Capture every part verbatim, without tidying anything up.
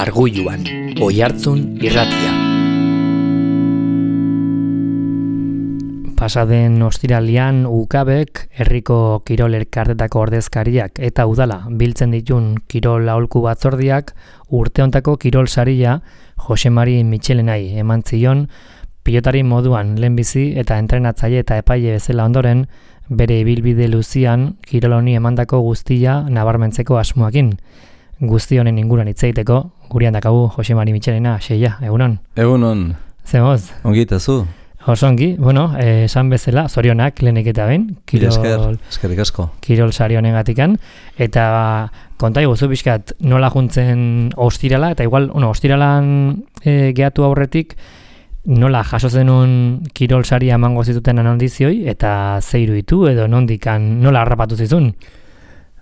Margulluan, Oihartzun irratia. Pasaden ostiralian U K Bek herriko kirol elkartetako ordezkariak eta udala biltzen ditun kirol aholku batzordiak urte hontako kirol saria Jose Mari Mitxelenai eman zion pilotari moduan lehenbizi eta entrenatzaile eta epaile bezala ondoren bere ibilbide luzian kirol honi emandako guztia nabarmentzeko asmoakin. Guzti honen inguruan hitz egiteko gurean dakagu Jose Mari Mitxelena, Xeia, egunon. Egunon. Zemoz? Ongi eta zu? Oso ongi, bueno, eh, esan bezala, zorionak lehenik eta behin, kirol, eskerrik asko. Kirol sari honengatikan, eta konta iguzu pixkat nola juntzen ostirala, eta igual, bueno, ostiralan eh, gehatu aurretik, nola jaso zenun kirol sari emango zituten anondizioi, eta zeiru ditu edo nondikan nola harrapatu zizun?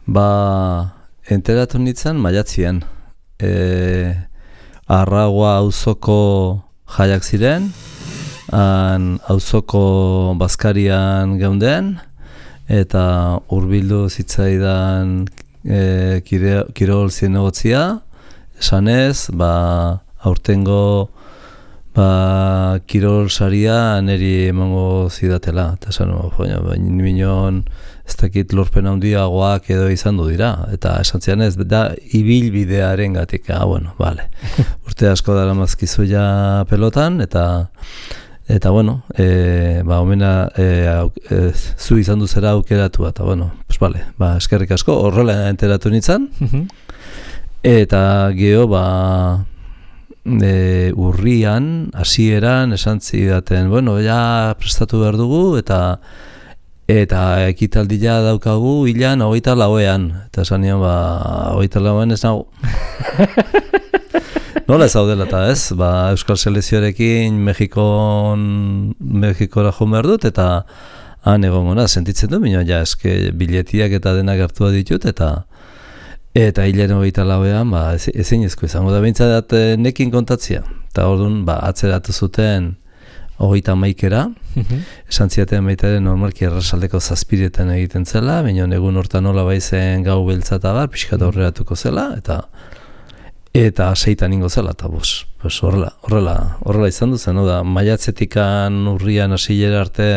Ba, enteratu nintzen maiatzian. E, Arraua auzoko jaiak ziren, han auzoko bazkarian geunden, eta hurbildu zitzaidan e, kire, kirol zinegotzia, esanez, ba, aurtengo ba, kirol saria niri emango zidatela, eta esan, baina minon ez dakit lorpen handiagoak edo izan du dira, eta esan zian ez, da ibilbidearen gatik, ah, bueno, vale. Urte asko dara mazkizu ja pelotan, eta eta bueno, e, ba, omena e, e, zu izan duzera aukeratu, eta bueno, pues vale, ba, eskerrik asko, horrela enteratu nintzen, eta geho, ba, E, urrian, hasieran esan zidaten, bueno, ja prestatu behar dugu, eta eta ekitaldia daukagu hilan hogeita lauean, eta esan nion, ba, hogeita lauean ez nago. Nola ez daudela eta ez, ba, Euskal Selekzioarekin Mexikon, Mexikora joan behar dut, eta han egongona, sentitzen du, minua, ja, eske biletiak eta denak hartua ditut, eta Eta hilaren hogeita lauean, ba, ezin ezko izango da behintzat nekin kontatzia. Eta orduan, ba, atzeratu zuten hogeita maikera, esan ziaten baitaren normalki errasaldeko zazpiretan egiten zela, baina egun hortan nola baizen gau beltzata bar, pixkat aurreratuko zela, eta eta seitan ingo zela, eta bos, bos, horrela, horrela, horrela izan duzen, no da, maiatzetikan urrian hasilera arte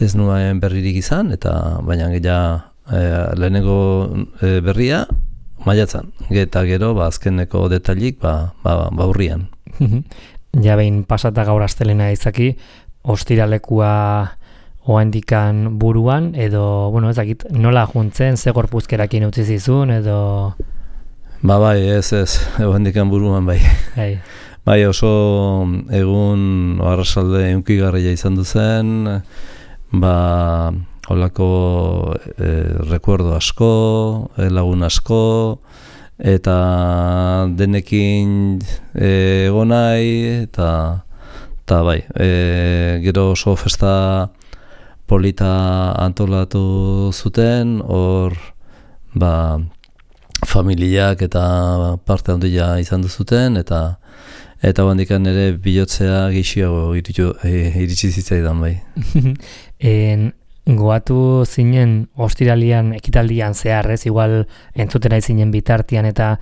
ez nuen berririk izan, eta baina ja, E, lehenengo e, berria maiatzan, eta gero ba, azkeneko detailik ba, ba, ba urrian. Ja behin pasata gaur astelena izaki, ostiralekua oandikan buruan, edo, bueno, ezakit, nola juntzen, ze gorpuzkerakin utzi zizun, edo... Ba bai, ez ez, oandikan buruan bai. Bai. Bai, oso egun arrasalde unkigarria izan duzen, ba... Holako eh, rekuerdo asko, lagun asko, eta denekin eh, egonai, eta, eta bai, eh, gero oso festa polita antolatu zuten, hor ba, familiak eta parte handia izan duzuten, eta eta bandikan ere bilotzea gehiago iritsi zitzaidan bai. en... Goatu zinen ostiralian ekitaldian zeharrez, igual entzutera zinen bitartian eta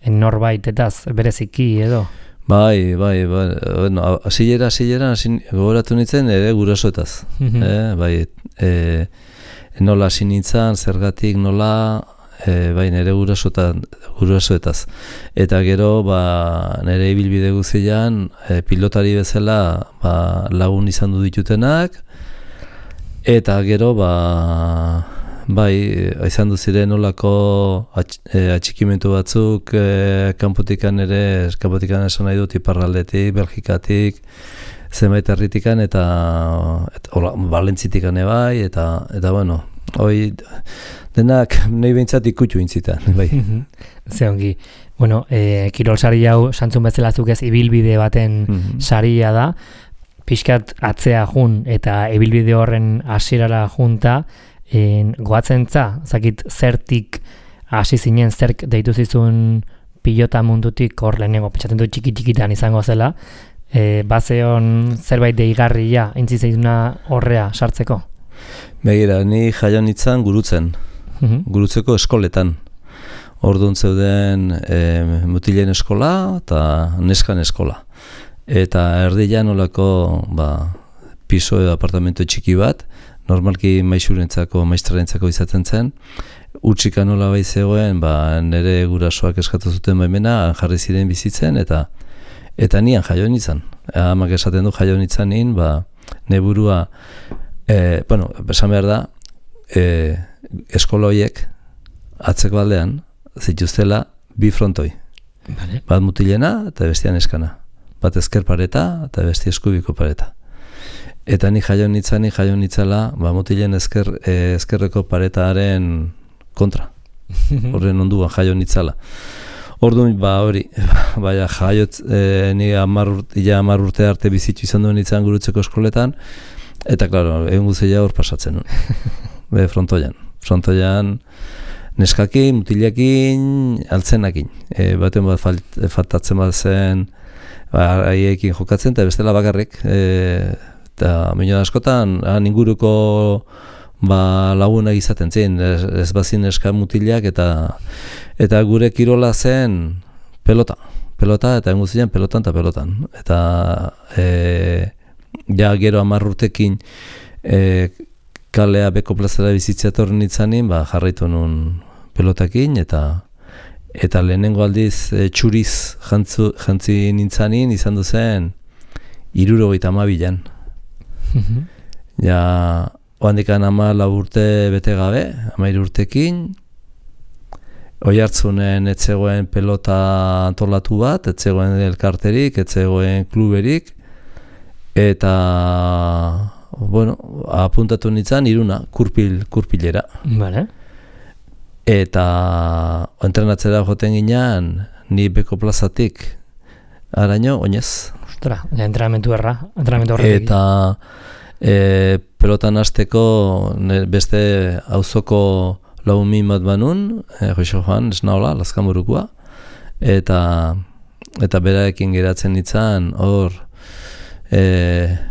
norbaitetaz bereziki edo? Bai, bai, bai, bueno, asilera, asilera, gogoratu nintzen ere gurasoetaz. eh, bai, e, nola hasi nintzen, zergatik nola, e, bai, nire gurasoetaz. Eta gero, ba, nire ibilbide guzian, e, pilotari bezala ba, lagun izan du ditutenak, eta gero, ba, bai, izan du ziren nolako atx, e, atxikimentu batzuk e, kanpotikan ere, kanpotikan esan nahi dut iparraldetik, Belgikatik, zenbait herritikan, eta, eta hola, Valentzitikan bai, eta, eta bueno, hoi, denak nahi behintzat ikutu intzitan, bai. Ze ongi. Bueno, e, kirol sari hau, santzun bezalazuk ez, ibilbide baten mm-hmm. saria da, pixkat atzea jun eta ibilbide horren hasierara junta, en, goatzen za, zakit zertik hasi zinen, zerk deitu zizun pilota mundutik, hor lehenengo, pentsatzen du txiki-txikitan izango zela, e, bazeon zerbait deigarria, intzizeiduna horrea sartzeko? Begira, ni jaio nintzen gurutzen, uh-huh. gurutzeko eskoletan. Orduan zeuden e, mutilen eskola eta neskan eskola. Eta erdian olako ba, piso edo apartamento txiki bat, normalki maixurentzako, maiztrarentzako izaten zen, utxika nola bai zegoen, ba, nire gurasoak eskatu zuten baimena, jarri ziren bizitzen, eta eta nian jaio nintzen. Amak esaten du jaio nintzen nien, ba, neburua, e, bueno, esan behar da, e, eskola horiek, atzeko aldean, zituztela bi frontoi. Vale. Bat mutilena eta bestian eskana. Bat ezker pareta eta besti eskubiko pareta. Eta ni jaio nintzen, ni jaio nintzela, ba, mutilen ezker, e, ezkerreko paretaren kontra. Horren onduan jaio nintzela. Orduan, ba, hori, baina jaiot, e, ni amar urte, ja amar urte arte bizitu izan duen nintzen gurutzeko eskoletan, eta, klaro, egun guztia hor pasatzen nuen. Be, frontoian. Frontoian, neskakin, mutilekin, altzenakin. E, baten bat falt, faltatzen bat zen, ba, haiekin jokatzen, eta bestela bakarrik, e, eta minio askotan, han inguruko ba, lagunak izaten zen, ez, ez bazin neska mutilak, eta eta gure kirola zen pelota. Pelota, eta engu ziren pelotan eta pelotan. Eta e, ja gero hamar urtekin e, kalea beko plazara bizitzea torren nintzanin, ba, jarraitu nun pelotakin, eta eta lehenengo aldiz e, txuriz jantzu, jantzi nintzanin, izan duzen hirurogeita hamabian. Ja, oandikan ama lau urte bete gabe, hamairu urtekin, Oihartzunen etzegoen pelota antolatu bat, etzegoen elkarterik, etzegoen kluberik, eta, bueno, apuntatu nintzen iruna, kurpil, kurpilera. Vale. Eta entrenatzera joten ginean, ni beko plazatik, araño, oinez. Ostra, ja, entrenamentu erra, entrenamentu horretik. Eta e, pelotan hasteko beste auzoko lau min bat banun, e, Joixo Joan, esnaola, Lazkamburukua, eta eta beraekin geratzen nintzen hor e,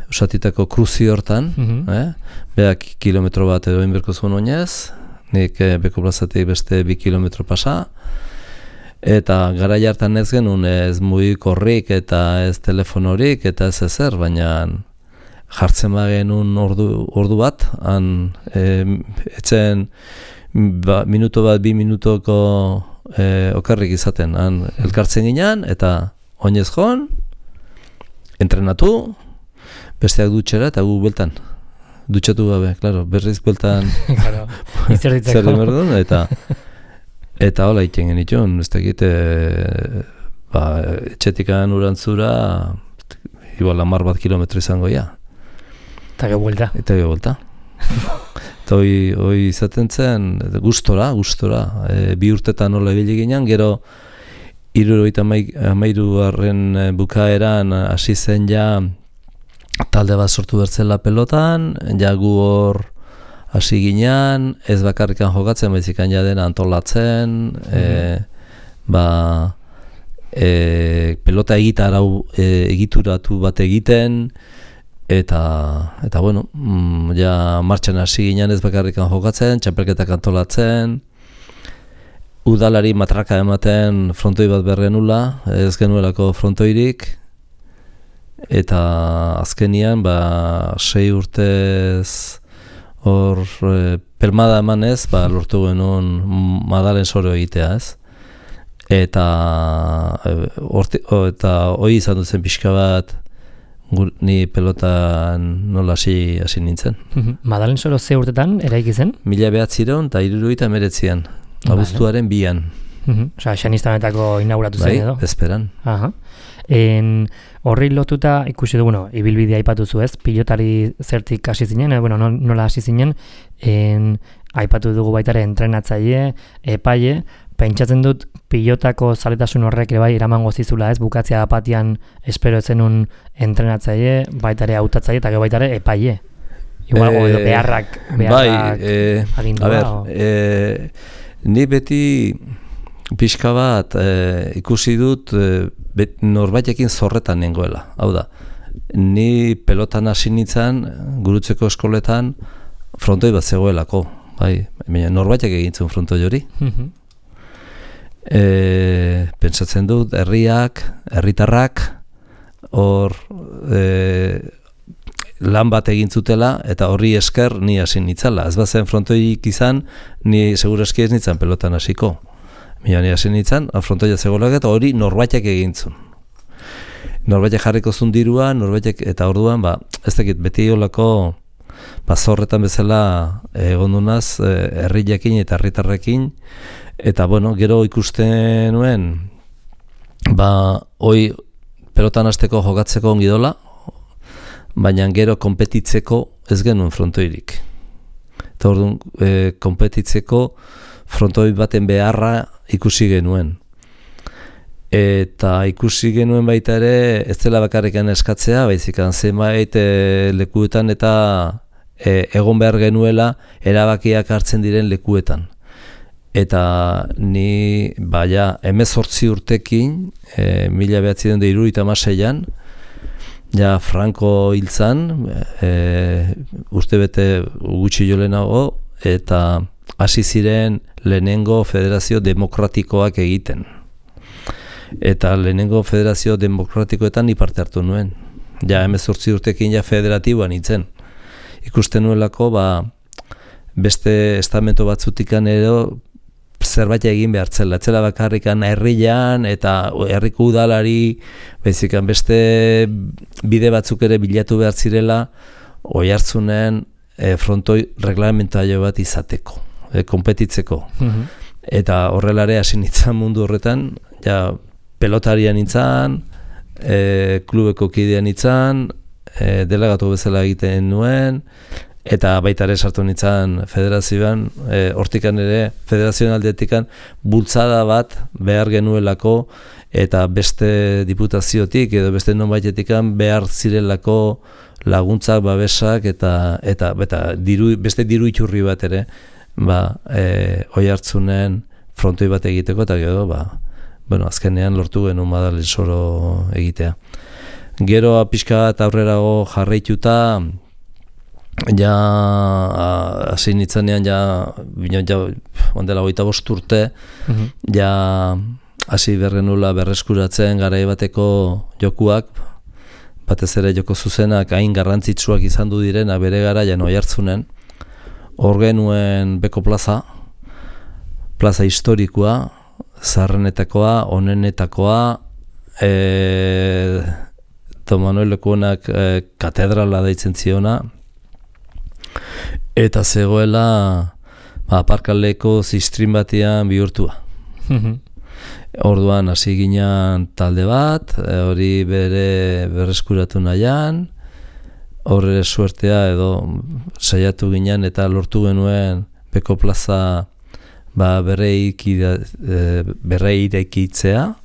usatitako kruzi hortan, mm-hmm. eh? Beak kilometro bat edo inberko zuen oinez, nik e, beko plazatik beste bi kilometro pasa, eta gara jartan ez genuen ez mugikorrik eta ez telefonorik eta ez ezer, baina jartzen bagenun ordu, ordu bat, han e, etzen ba, minuto bat, bi minutoko e, okarrik izaten, han elkartzen ginean, eta oinez joan, entrenatu, besteak dutxera eta gu beltan. Dutxatu gabe, klaro, berriz beltan claro, zer dimerdun, eta eta hola iten genitun, ez dakit, e, ba, etxetikan urantzura, igual hamar bat kilometro izango ja. Eta ge buelta. Eta ge buelta. Eta hoi, hoi izaten zen, gustora, gustora, e, bi urtetan nola ibili ginen, gero hirurogeita hamairugarren bukaeran hasi zen ja talde bat sortu bertzela pelotan, ja gu hor hasi ginean, ez bakarrikan jokatzen, baizikan ja dena antolatzen, mm-hmm. e, ba, e, pelota egitarau, e, egituratu bat egiten, Eta, eta bueno, mm, ja martxan hasi ginen ez bakarrikan jokatzen, txapelketak antolatzen, udalari matraka ematen frontoi bat berrenula, ez genuelako frontoirik, eta azkenian, ba, sei urtez hor e, pelmada emanez, ba, lortu genuen Madalen soro egitea, ez? Eta e, orte, o, eta hoi izan duzen pixka bat, ni pelotan nola hasi hasi nintzen. Madalen soro ze urtetan eraiki zen? Mila behatziron eta hirurogeita hemeretzian, abuztuaren bian. Osa, xanistanetako inauguratu zen edo? Bai, bezperan. Aha. En, horri lotuta ikusi du, bueno, ibilbidea aipatu zu ez, pilotari zertik hasi zinen, eh, bueno, nola hasi zinen, en, aipatu dugu baitare entrenatzaile, epaile, pentsatzen dut pilotako zaletasun horrek ere bai eramango zizula ez, bukatzea apatian espero zenun entrenatzaile, baitare hautatzaile eta gero baitare epaile. Igual, e, edo beharrak, beharrak bai, e, agindua. A ber, e, ni beti pixka bat e, ikusi dut e, bet, norbaitekin zorretan nengoela. Hau da, ni pelotan hasi nintzen, gurutzeko eskoletan, frontoi bat zegoelako. Bai, norbaitek egin zuen frontoi hori. e, pentsatzen dut, herriak, herritarrak, hor e, lan bat egin zutela, eta horri esker ni hasi nitzala. Ez bazen frontoik izan, ni segurazki ez nintzen pelotan hasiko. Mila ni hasi nintzen, frontoia zegolak eta hori norbaitek egintzun. Norbaitek jarriko zun dirua, norbaitek, eta orduan, ba, ez dakit, beti olako ba, zorretan bezala egondunaz, herriakin eta herritarrekin, eta bueno, gero ikusten nuen, ba, hoi pelotan hasteko jokatzeko ongi dola, baina gero konpetitzeko ez genuen frontoirik. Eta orduan, e, konpetitzeko frontoi baten beharra ikusi genuen. Eta ikusi genuen baita ere, ez dela bakarrikan eskatzea, baizikan zenbait e, lekuetan eta e, egon behar genuela erabakiak hartzen diren lekuetan. Eta ni, baina, hemezortzi urtekin, e, mila behatzen da hirurogeita hamaseian, ja Franco hiltzan, e, uste bete gutxi jo lehenago, eta hasi ziren lehenengo federazio demokratikoak egiten. Eta lehenengo federazio demokratikoetan ni parte hartu nuen. Ja hemezortzi urtekin ja federatiboan nintzen. Ikusten nuelako, ba, beste estamento batzutikan edo zerbait egin behartzela. Etzela bakarrikan herrian eta herriko udalari, baizikan beste bide batzuk ere bilatu behar zirela, oihartzunen e, frontoi reglamentario bat izateko, e, konpetitzeko. Mm-hmm. Eta horrelare hasi nintzen mundu horretan, ja pelotarian nintzen, e, klubeko kidean nintzen, e, delegatu bezala egiten nuen, eta baita ere sartu nintzen federazioan, e, hortikan ere, federazioan aldetikan, bultzada bat behar genuelako, eta beste diputaziotik, edo beste nonbaitetikan behar zirelako laguntzak, babesak, eta, eta, eta diru, beste diru iturri bat ere, ba, e, oihartzunen frontoi bat egiteko, eta gero, ba, bueno, azkenean lortu genuen Madalen Soro egitea. Gero pixka bat aurrerago jarraituta, ja, hasi nitzanean, ja, ja, ondela hogeita bost urte, uh-huh. ja, hasi bergenula berreskuratzen garai bateko jokuak, batez ere joko zuzenak hain garrantzitsuak izan du direna bere garaian oihartzunen, hor genuen Beko plaza, plaza historikoa, zaharrenetakoa, onenetakoa, e, Don Manuel Lekuonak e, katedrala deitzen ziona, eta zegoela ba, aparkaleko zistrin batean bihurtua. Orduan hasi ginen talde bat, e, hori bere berreskuratu nahian, horre suertea edo saiatu ginen eta lortu genuen Beko plaza ba, berreireikitzea,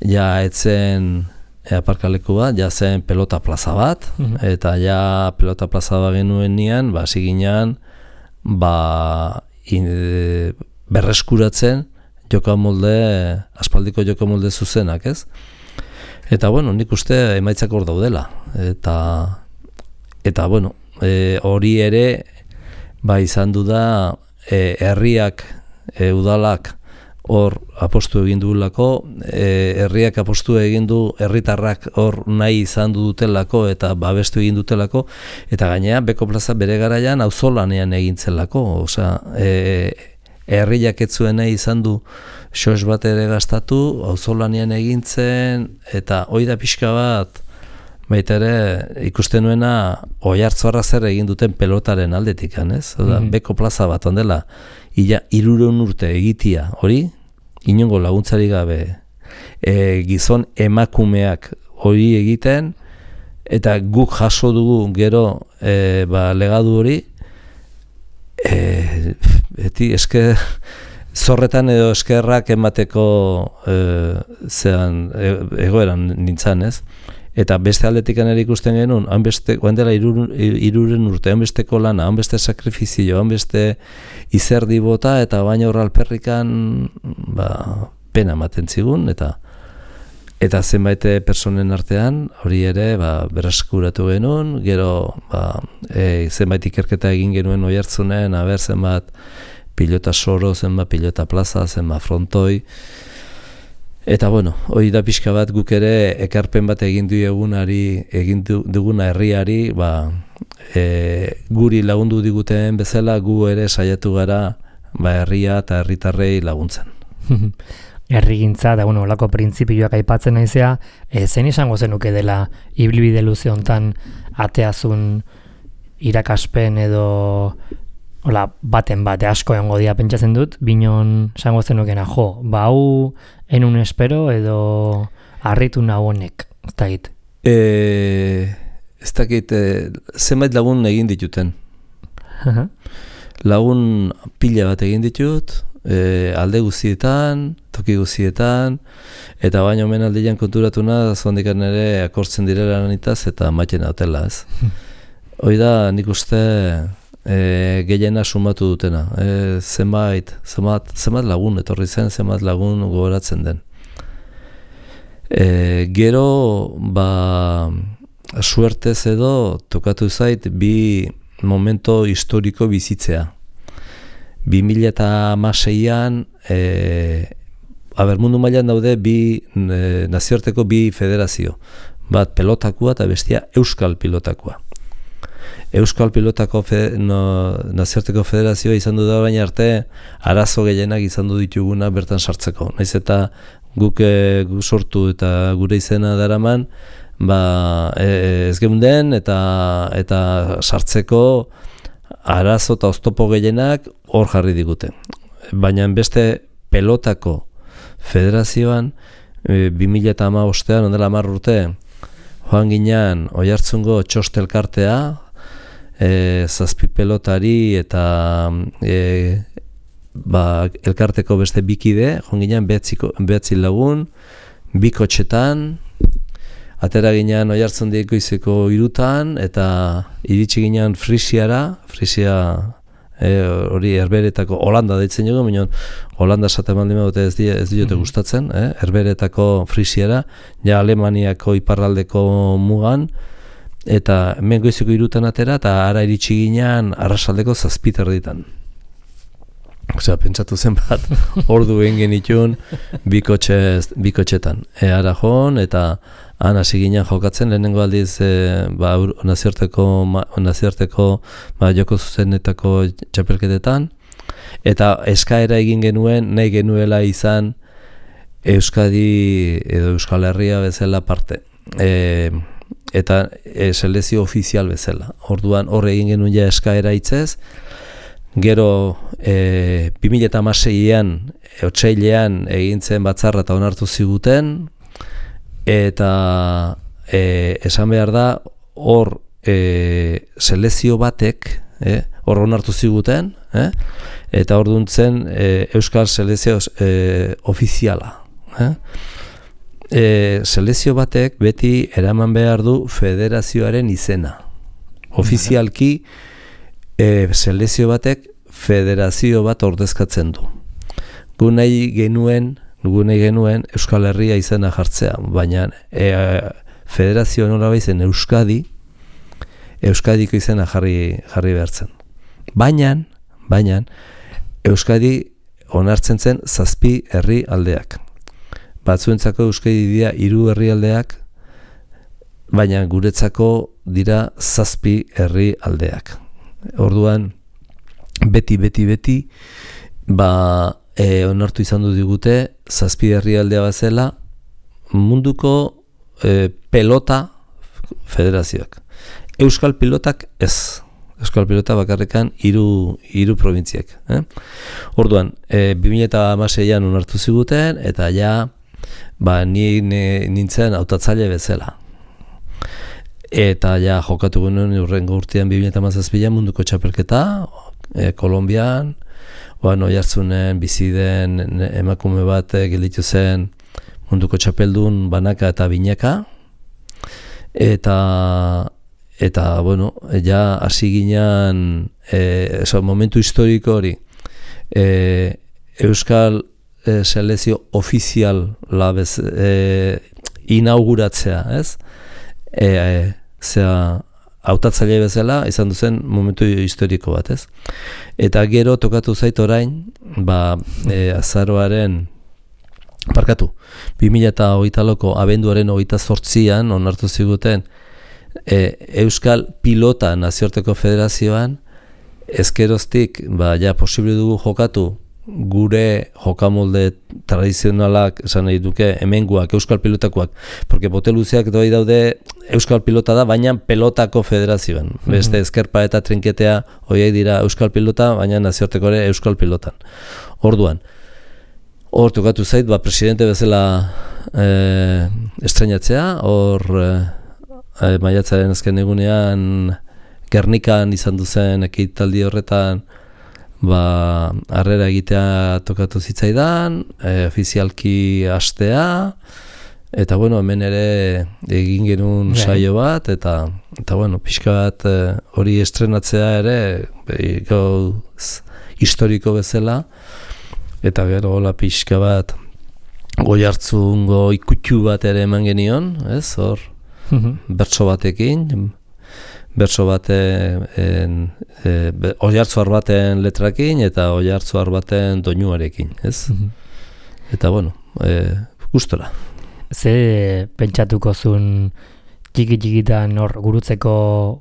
ja etzen e, aparkaleku bat, ja zen pelota plaza bat, mm-hmm. eta ja pelota plaza bat genuen nian, ba, hasi ginen ba, in, e, berreskuratzen jokamolde, aspaldiko jokamolde zuzenak, ez? Eta, bueno, nik uste emaitzak hor daudela. Eta, eta bueno, e, hori ere, ba, izan du da, e, herriak, e, udalak, hor apostu egin duelako, e, herriak apostu egin du, herritarrak hor nahi izan du dutelako, eta babestu egin dutelako, eta gainera, Beko plaza bere garaian auzolanean egintzelako, osea, e, herriak ez zuen nahi izan du xos bat ere gastatu, auzolanean egintzen, eta hoi da pixka bat, baita ere ikusten nuena Oiartzarra zer egin duten pelotaren aldetik, ez? Oda, mm-hmm. Beko plaza bat ondela, ia hirureun urte egitia, hori, inongo laguntzari gabe, e, gizon emakumeak hori egiten, eta guk jaso dugu gero e, ba, legadu hori, e, beti eske zorretan edo eskerrak emateko e, zean e, egoeran nintzen, ez? Eta beste aldetik ere ikusten genuen, hanbeste, oendela iruren urte, hanbesteko lana, hanbeste sakrifizio, hanbeste izerdi bota, eta baina horra alperrikan ba, pena ematen zigun, eta eta zenbait personen artean, hori ere ba, berreskuratu genuen, gero ba, e, zenbait ikerketa egin genuen Oiartzunen, aber zenbat pilota soro, zenba pilota plaza, zenba frontoi. Eta bueno, hori da pixka bat guk ere ekarpen bat egin dugunari, egin duguna herriari, ba, e, guri lagundu diguten bezala gu ere saiatu gara ba, herria eta herritarrei laguntzen. Herrigintza da bueno, olako printzipioak aipatzen naizea, e, zein izango zenuke dela ibilbide luze hontan ateazun irakaspen edo hola, baten bate asko egongo dira pentsatzen dut, binon esango zenukena jo, ba hau enun espero edo harritu nau honek, ez dakit. E, ez dakit, e, zenbait lagun egin dituten. Lagun pila bat egin ditut, e, alde guztietan, toki guztietan, eta baina omen aldean konturatuna, zondikan ere akortzen direla nanitaz, eta maiten hautela, ez. Hoi da, nik uste e, gehiena sumatu dutena. E, zenbait, zenbat, zenbat lagun etorri zen, zenbat lagun gogoratzen den. E, gero, ba, suertez edo, tokatu zait, bi momento historiko bizitzea. bi mila hamaseian, e, aber mundu mailan daude bi e, nazioarteko bi federazio. Bat pelotakoa eta bestia euskal pilotakoa. Euskal pilotako fe, no, nazioarteko federazioa izan du da orain arte arazo gehienak izan du dituguna bertan sartzeko. Naiz eta guk, e, guk sortu eta gure izena daraman, ba, e, ez geunden eta, eta sartzeko arazo eta oztopo gehienak hor jarri digute. Baina beste pelotako federazioan, e, bi mila hamabostean, ondela hamar urte, joan ginean Oiartzungo txostelkartea, e, zazpi pelotari eta e, ba, elkarteko beste bikide, joan ginean behatzi lagun, bi kotxetan, atera ginean Oiartzundik goizeko irutan, eta iritsi ginean Frisiara, Frisia hori e, Herberetako, Holanda deitzen dugu, baina Holanda esaten baldin badute ez, die, ez diote mm-hmm. gustatzen, eh? Herberetako Frisiara, ja Alemaniako iparraldeko mugan, eta hemen goizeko irutan atera, eta ara iritsi ginean arrasaldeko zazpiterditan. Osea, pentsatu zen bat, ordu egin genitun bikotxetan. E, ara joan, eta han hasi ginen jokatzen, lehenengo aldiz e, ba, nazioarteko, nazioarteko ba, joko zuzenetako txapelketetan, eta eskaera egin genuen, nahi genuela izan Euskadi edo Euskal Herria bezala parte. E, eta e, selezio ofizial bezala. Orduan hor egin genuen ja eskaera hitzez, gero e, bi mila hamaseian, otsailean egin zen batzarra eta onartu ziguten, eta e, esan behar da hor e, selezio batek e, hor onartu ziguten, e, eta hor duntzen e, Euskal Selezio e, ofiziala. E. E, selezio batek beti eraman behar du federazioaren izena. Ofizialki e, selezio batek federazio bat ordezkatzen du. Gu nahi genuen Gu nahi genuen Euskal Herria izena jartzea, baina e, federazio nola baizen Euskadi, Euskadiko izena jarri, jarri behartzen. Baina, baina, Euskadi onartzen zen zazpi herri aldeak. Batzuentzako Euskadi dira hiru herri aldeak, baina guretzako dira zazpi herri aldeak. Orduan, beti, beti, beti, ba, E, onartu izan du digute, zazpi herrialdea bazela, munduko e, pelota federazioak. Euskal pilotak ez. Euskal pilota bakarrekan hiru hiru probintziak. Eh? Orduan, e, bi mila hamaseian onartu ziguten, eta ja, ba, ni, ni nintzen hautatzaile bezala. Eta ja, jokatu genuen urrengo urtean bi mila hamazazpian munduko txapelketa, e, Kolonbian, Oan Oiartzunen bizi den emakume bat gelditu zen munduko txapeldun banaka eta binaka. Eta, eta bueno, ja hasi ginean e, eso, momentu historiko hori e, Euskal e, selezio ofizial labez, e, inauguratzea, ez? E, e, zera, hautatzaile bezala izan duzen momentu historiko bat, ez? Eta gero tokatu zait orain, ba, e, azaroaren, parkatu, bi mila hogeita lauko abenduaren hogeita zortzian onartu ziguten e, Euskal Pilota Nazioarteko Federazioan, ezkeroztik, ba, ja, posible dugu jokatu, gure jokamolde tradizionalak esan nahi duke hemenguak, euskal pilotakoak, porque bote luzeak doi daude euskal pilota da, baina pelotako federazioan. Mm-hmm. Beste ezkerpa eta trinketea horiek dira euskal pilota, baina nazioarteko ere euskal pilotan. Orduan, hor tokatu zait, ba, presidente bezala eh, estrenatzea, hor eh, maiatzaren azken egunean Gernikan izan duzen ekitaldi horretan ba, harrera egitea tokatu zitzaidan, e, ofizialki hastea, eta bueno, hemen ere egin genuen saio bat, eta, eta bueno, pixka bat hori estrenatzea ere, gauz historiko bezala, eta gero hola pixka bat goi hartzungo ikutxu bat ere eman genion, ez, hor, bertso batekin, bertso baten, e, oihartzuar baten letrakin eta oihartzuar baten doinuarekin, ez? Mm-hmm. Eta bueno, e, gustora. Ze pentsatuko zuen txiki-txikitan hor gurutzeko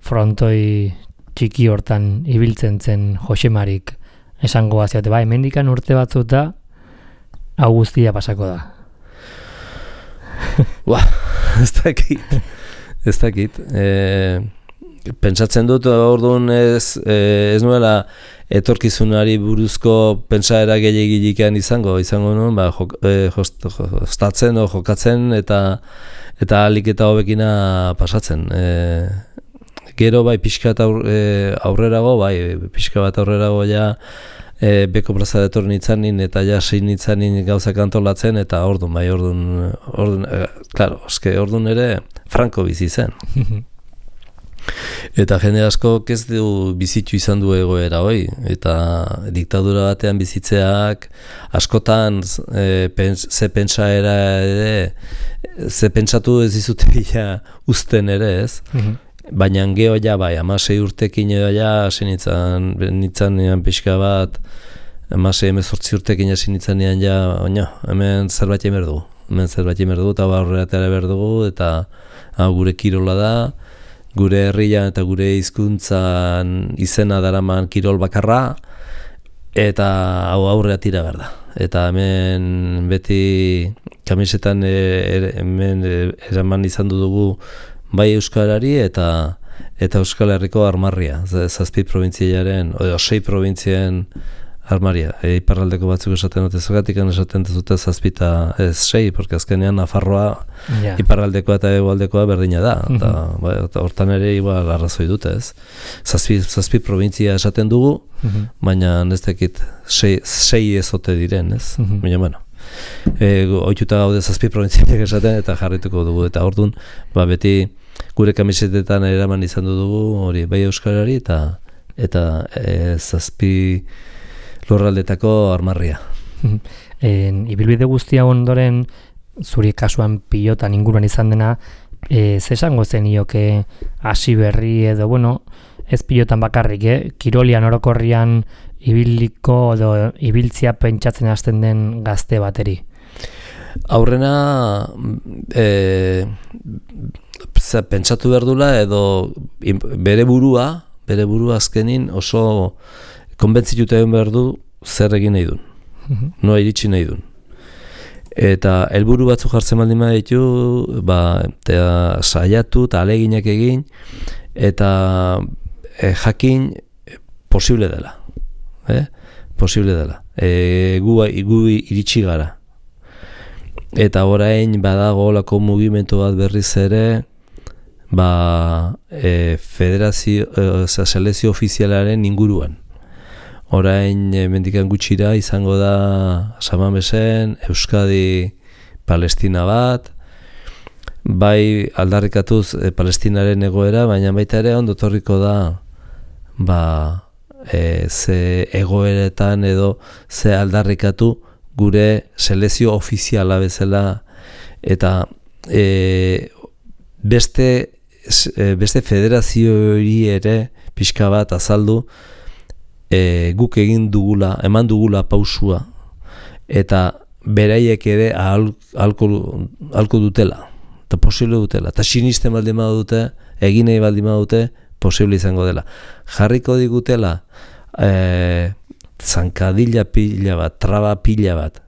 frontoi txiki hortan ibiltzen zen Josemarik esango baziote, ba, hemendikan urte batzuta hau guztia pasako da. Ba, ez dakit, ez dakit. E, Pentsatzen dut orduan ez, ez nuela etorkizunari buruzko pentsaera gehiagilikean izango, izango nuen, ba, jok, e, jost, jostatzen o jokatzen eta eta alik eta hobekina pasatzen. E, gero bai pixka bat aur, e, aurrerago, bai pixka bat aurrerago ja e, beko plaza detor nitzanin eta ja sein nitzanin gauzak antolatzen eta orduan, bai orduan, orduan e, claro, eske orduan ere Franco bizi zen. Eta jende asko ez du bizitu izan du egoera hoi, eta diktadura batean bizitzeak askotan e, pens, ze pentsaera ere, ze pentsatu ez dizute ja uzten ere, ez? Mm-hmm. Baina geho ja bai, amasei urtekin edo ja, hasi nintzen, nintzen nian pixka bat, amasei emezortzi urtekin hasi nintzen nian ja, oina, hemen zerbait emer dugu, hemen zerbait emer dugu, eta barreatera ber dugu, eta hau gure kirola da, gure herrian eta gure hizkuntzan izena daraman kirol bakarra, eta hau aurrea tira behar da. Eta hemen beti kamisetan e, er, hemen eraman izan dugu bai euskarari eta eta Euskal Herriko armarria, zazpi probintziaren, o sei probintzien armaria. E, iparraldeko batzuk esaten dute zergatik esaten dute zazpita ez sei, porque azkenean Nafarroa yeah. iparraldekoa eta hegoaldekoa berdina da. Mm-hmm. Eta, ba, eta hortan ere igual arrazoi dute, ez? Zazpi, zazpi provintzia esaten dugu, mm-hmm. baina ez dakit sei, sei ezote diren, ez? Mm-hmm. Baina, bueno, e, oituta gaude zazpi provintziak esaten eta jarrituko dugu. Eta orduan, ba, beti gure kamisetetan eraman izan dugu, hori bai euskarari eta eta e, zazpi lurraldetako armarria. En, ibilbide guztia ondoren, zuri kasuan pilotan inguruan izan dena, e, zesango zenioke hasi berri edo, bueno, ez pilotan bakarrik, eh? Kirolian orokorrian ibiliko edo ibiltzia pentsatzen hasten den gazte bateri? Aurrena e, pentsatu behar dula edo bere burua, bere burua azkenin oso konbentzituta egin behar du zer egin nahi duen, mm-hmm. noa iritsi nahi duen. Eta helburu batzu jartzen baldin baditu, ba, eta saiatu eta aleginak egin, eta e, jakin posible dela. Eh? Posible dela. E, gu, gu iritsi gara. Eta orain badago olako mugimendu bat berriz ere, ba, e, federazio, e, selezio ofizialaren inguruan. Orain mendikan gutxira izango da Samamesen, Euskadi, Palestina bat, bai aldarrikatuz e, Palestinaren egoera, baina baita ere ondo torriko da ba, e, ze egoeretan edo ze aldarrikatu gure selezio ofiziala bezala eta e, beste beste federaziori ere pixka bat azaldu e, guk egin dugula, eman dugula pausua eta beraiek ere ahalko ahalko dutela eta posible dutela eta sinisten baldin badute, egin nahi baldin badute posible izango dela. Jarriko digutela e, zankadilla pila bat, traba pila bat.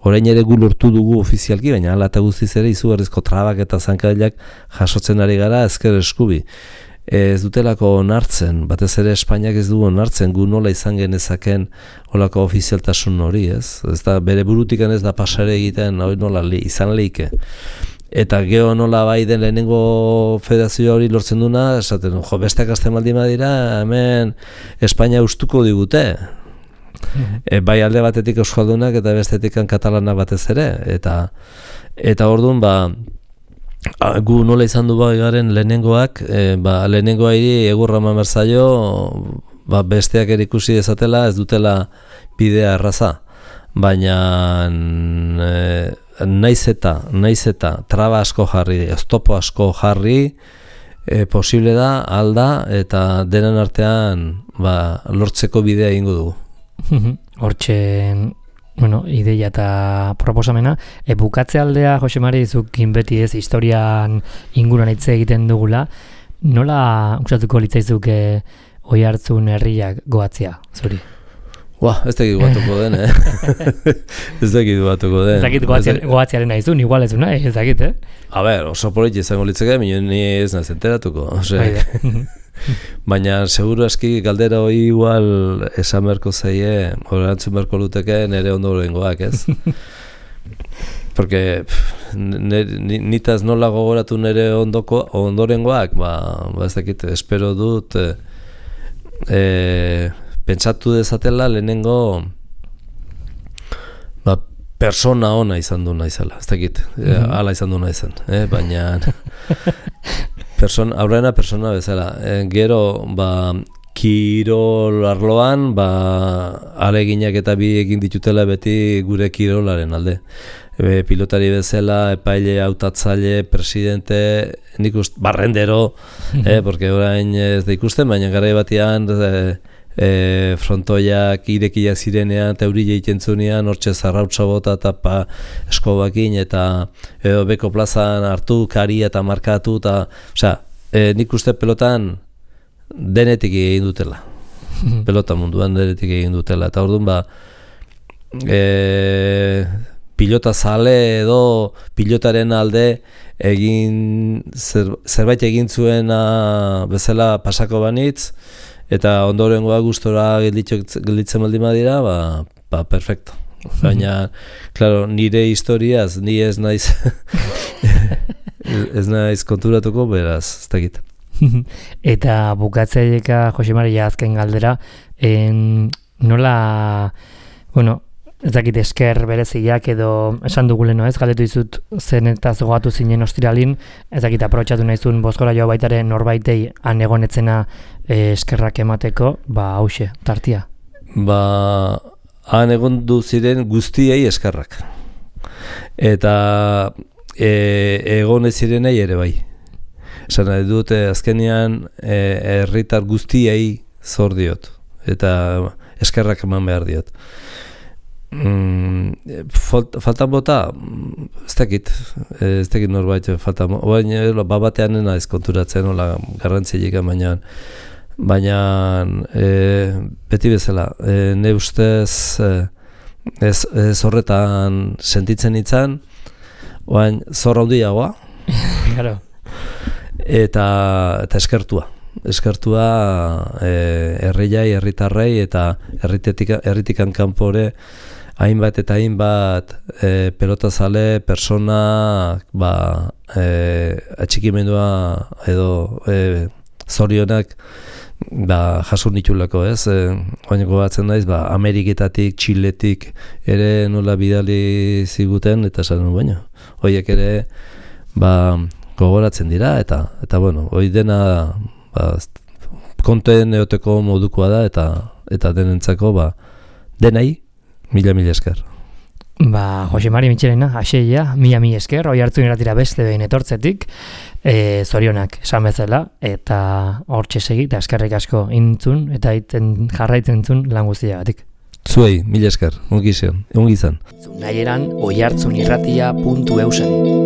Orain ere gu lortu dugu ofizialki, baina hala eta guztiz ere izugarrizko trabak eta zankadillak jasotzen ari gara ezker eskubi. Ez dutelako onartzen, batez ere Espainiak ez du onartzen, gu nola izan genezaken olako ofizialtasun hori, ez? Ez da, bere burutikan ez da pasare egiten, hori nola li, izan leike. Eta geho nola bai den lehenengo federazio hori lortzen duna, esaten, jo, besteak azten baldin badira, hemen Espainia ustuko digute. E, bai alde batetik euskaldunak eta bestetik katalanak batez ere. Eta, eta orduan, ba, gu nola izan du bai garen lehenengoak, e, ba, lehenengoa hiri egurra mamerzaio, ba, besteak erikusi dezatela, ez dutela bidea erraza. Baina e, naiz eta, naiz eta traba asko jarri, oztopo asko jarri, e, posible da, alda, eta denen artean ba, lortzeko bidea egingo dugu. Hortxe, bueno, ideia eta proposamena. E, bukatze aldea, Jose Mari, zukin beti ez, historian inguruan hitz egiten dugula, nola usatuko litzaizuke Oiartzun herriak goatzea, zuri? Ua, ez dakit goatuko den, eh? Ez dakit goatuko den. Ez dakit goatzearen naizun, igual ez du nahi, ez dakit, eh? A ber, oso politi izango litzeke, minun ni ez naz enteratuko. Baina, seguru aski galdera hori igual esan berko zaie, horantzun berko luteke nire ondorengoak, ez? Porque nitaz nola gogoratu nire ondoko, ondorengoak, ba, ba ez dakit, espero dut, e, e, pentsatu dezatela lehenengo ba, persona ona izan du naizela, ez dakit, mm-hmm. Hala izan du naizen, eh? Baina person, aurrena persona bezala, e, gero ba, kirol arloan ba, aleginak eta bi egin ditutela beti gure kirolaren alde. E, pilotari bezala, epaile, hautatzaile, presidente, nik ust, barrendero, eh? Porque orain ez da ikusten, baina garai batean e, E, frontoiak irekia zirenean eta eurile egiten zunean hortxe zarrautza bota eta pa eskobakin eta edo beko plazan hartu, kari eta markatu eta, osea, e, nik uste pelotan denetik egin dutela. Pelota munduan denetik egin dutela. Eta orduan ba, e, pilota zale edo pilotaren alde egin zer, zerbait egin zuena bezala pasako banitz, eta ondorengoa gustora gelditzen baldin badira, ba, ba, perfecto. Baina, claro, nire historiaz, ni ez naiz ez naiz konturatuko, beraz, ez dakit. Eta bukatzaileeka, Jose Mari, azken galdera, en, nola, bueno, ez dakit esker bereziak edo esan duguleno ez, galdetu izut zen eta zogatu zinen ostiralin, ez dakit aprotxatu nahizun bozkora joa baitare norbaitei anegonetzena e, eskerrak emateko, ba hause, tartia. Ba, han egon du ziren guztiei eskerrak. Eta e, egon ez zirenei ere bai. Esan nahi dute azkenean herritar e, guztiei zor diot. Eta eskerrak eman behar diot. Mm, faltan bota ez dakit ez dakit norbait faltan baina babatean nena ez konturatzen nola garrantzilik baina baina e, beti bezala e, ne ustez e, ez, ez horretan sentitzen itzan oain zor handiagoa claro. eta eta eskertua eskertua e, herriai, herritarrei eta herritetik, herritikan kanpore hainbat eta hainbat e, pelotazale, persona, ba, e, atxikimendua edo e, zorionak ba, jasun nitulako, ez? E, Oain gogatzen naiz, ba, Ameriketatik, Txiletik ere nola bidali ziguten, eta esan baina, horiek ere ba, gogoratzen dira, eta, eta bueno, hori dena ba, konten eoteko modukoa da, eta eta denentzako ba, denai, mila mila esker. Ba, Jose Mari Mitxelena, haseia, mila mi esker, oi hartzun iratira beste behin etortzetik, e, zorionak esan bezala, eta hortxe segi, eta eskerrik asko intzun, eta iten jarraitzen zun lan guztiagatik. Zuei, mila esker, ongi izan. Ongi izan. Naieran oihartzunirratia puntu eusen.